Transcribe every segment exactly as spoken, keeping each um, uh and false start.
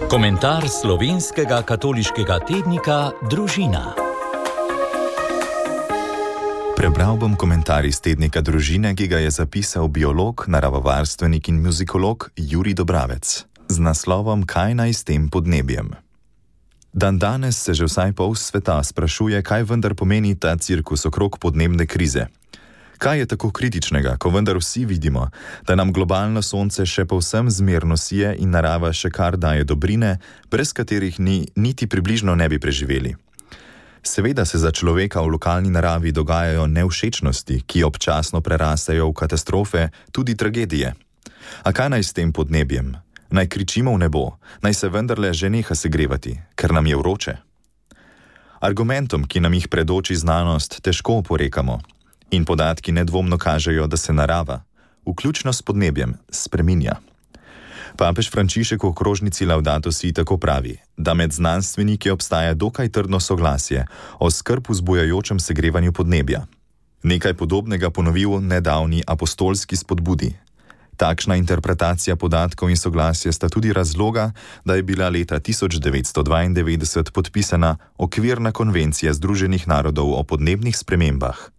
Komentar slovenskega katoliškega tednika Družina. Prebral bom komentar iz tednika Družine, ki ga je zapisal biolog, naravovarstvenik in muzikolog Jurij Dobravec z naslovom Kaj naj s tem podnebjem. Dan danes se že vsaj pol sveta sprašuje, kaj vendar pomeni ta cirkus okrog podnebne krize. Kaj je tako kritičnega, ko vendar vsi vidimo, da nam globalno sonce še povsem zmerno sije in narava še kar daje dobrine, brez katerih ni niti približno ne bi preživeli. Seveda se za človeka v lokalni naravi dogajajo nevšečnosti, ki občasno prerastajo v katastrofe, tudi tragedije. A kaj naj s tem podnebjem? Naj kričimo v nebo, naj se vendarle že neha segrevati, ker nam je vroče. Argumentom, ki nam jih predoči znanost, težko oporekamo. In podatki nedvomno kažejo, da se narava, vključno s podnebjem, spreminja. Papež Frančišek v okrožnici Laudato Si tako pravi, da med znanstveniki obstaja dokaj trdno soglasje o skrb vzbujajočem segrevanju podnebja. Nekaj podobnega ponovil nedavni apostolski spodbudi. Takšna interpretacija podatkov in soglasja sta tudi razloga, da je bila leta tisoč devetsto dvaindevetdeset podpisana okvirna konvencija Združenih narodov o podnebnih spremembah.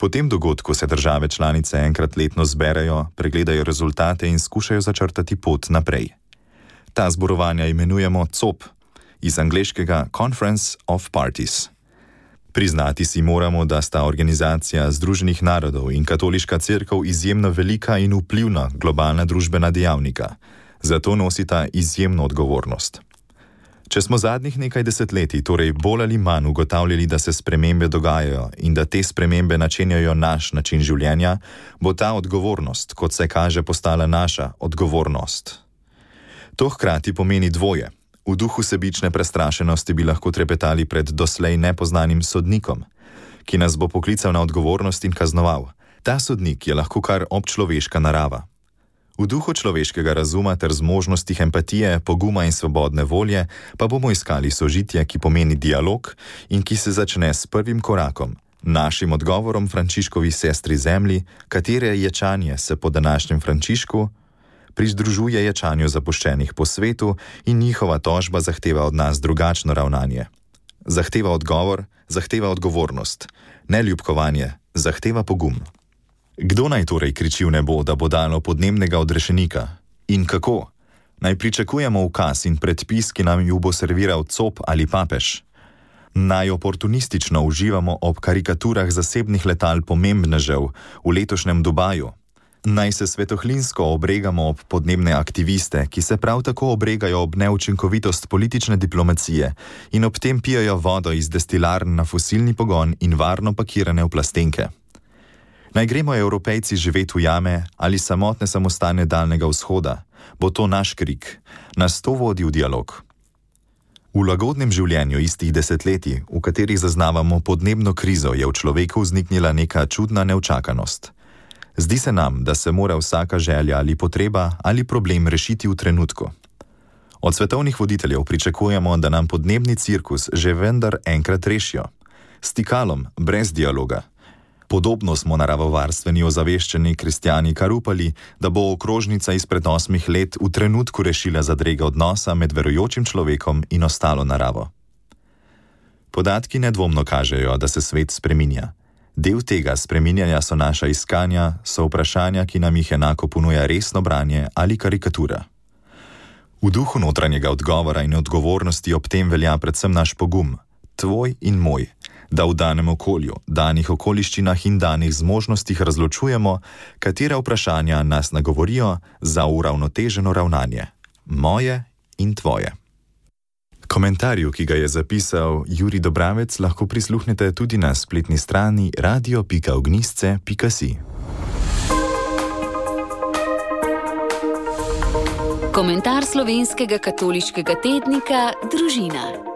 Po tem dogodku se države članice enkrat letno zberejo, pregledajo rezultate in skušajo začrtati pot naprej. Ta zborovanja imenujemo C O P, iz angleškega Conference of Parties. Priznati si moramo, da sta organizacija Združenih narodov in katoliška cerkev izjemno velika in vplivna globalna družbena dejavnika, zato nosita izjemno odgovornost. Če smo zadnjih nekaj desetletij, torej bolj ali manj ugotavljali, da se spremembe dogajajo in da te spremembe načenjajo naš način življenja, bo ta odgovornost, kot se kaže, postala naša odgovornost. To hkrati pomeni dvoje. V duhu sebične prestrašenosti bi lahko trepetali pred doslej nepoznanim sodnikom, ki nas bo poklical na odgovornost in kaznoval. Ta sodnik je lahko kar občloveška narava. V duhu človeškega razuma ter zmožnostih empatije, poguma in svobodne volje pa bomo iskali sožitje, ki pomeni dialog in ki se začne s prvim korakom, našim odgovorom Frančiškovi sestri Zemlji, katere ječanje se po današnjem Frančišku pridružuje ječanju zapuščenih po svetu in njihova tožba zahteva od nas drugačno ravnanje. Zahteva odgovor, zahteva odgovornost, ne ljubkovanje, zahteva pogum. Kdo naj torej kriči v nebo, da bo dalo podnebnega odrešenika? In kako? Naj pričakujemo ukaz in predpis, ki nam ju bo serviral C O P ali papež? Naj oportunistično uživamo ob karikaturah zasebnih letal pomembnežev v letošnjem Dubaju? Naj se svetohlinsko obregamo ob podnebne aktiviste, ki se prav tako obregajo ob neučinkovitost politične diplomacije in ob tem pijajo vodo iz destilarn na fosilni pogon in varno pakirane v plastenke? Naj gremo Evropejci živeti v jame ali samotne samostane Daljnega vzhoda, bo to naš krik, nas to vodi v dialog. V lagodnem življenju istih desetletij, v katerih zaznavamo podnebno krizo, je v človeku vzniknila neka čudna neučakanost. Zdi se nam, da se mora vsaka želja ali potreba ali problem rešiti v trenutku. Od svetovnih voditeljev pričakujemo, da nam podnebni cirkus že vendar enkrat rešijo. Stikalom, brez dialoga. Podobno smo naravovarstveni ozaveščeni kristjani kar upali, da bo okrožnica izpred osmih let v trenutku rešila zadrege odnosa med verujočim človekom in ostalo naravo. Podatki nedvomno kažejo, da se svet spreminja. Del tega spreminjanja so naša iskanja, so vprašanja, ki nam jih enako ponuja resno branje ali karikatura. V duhu notranjega odgovora in odgovornosti ob tem velja predvsem naš pogum, tvoj in moj, da v danem okolju, danih okoliščinah in danih zmožnostih razločujemo, katera vprašanja nas nagovorijo za uravnoteženo ravnanje. Moje in tvoje. Komentarju, ki ga je zapisal Jurij Dobravec, lahko prisluhnete tudi na spletni strani radio pika ognjišče pika si. Komentar slovenskega katoliškega tednika Družina.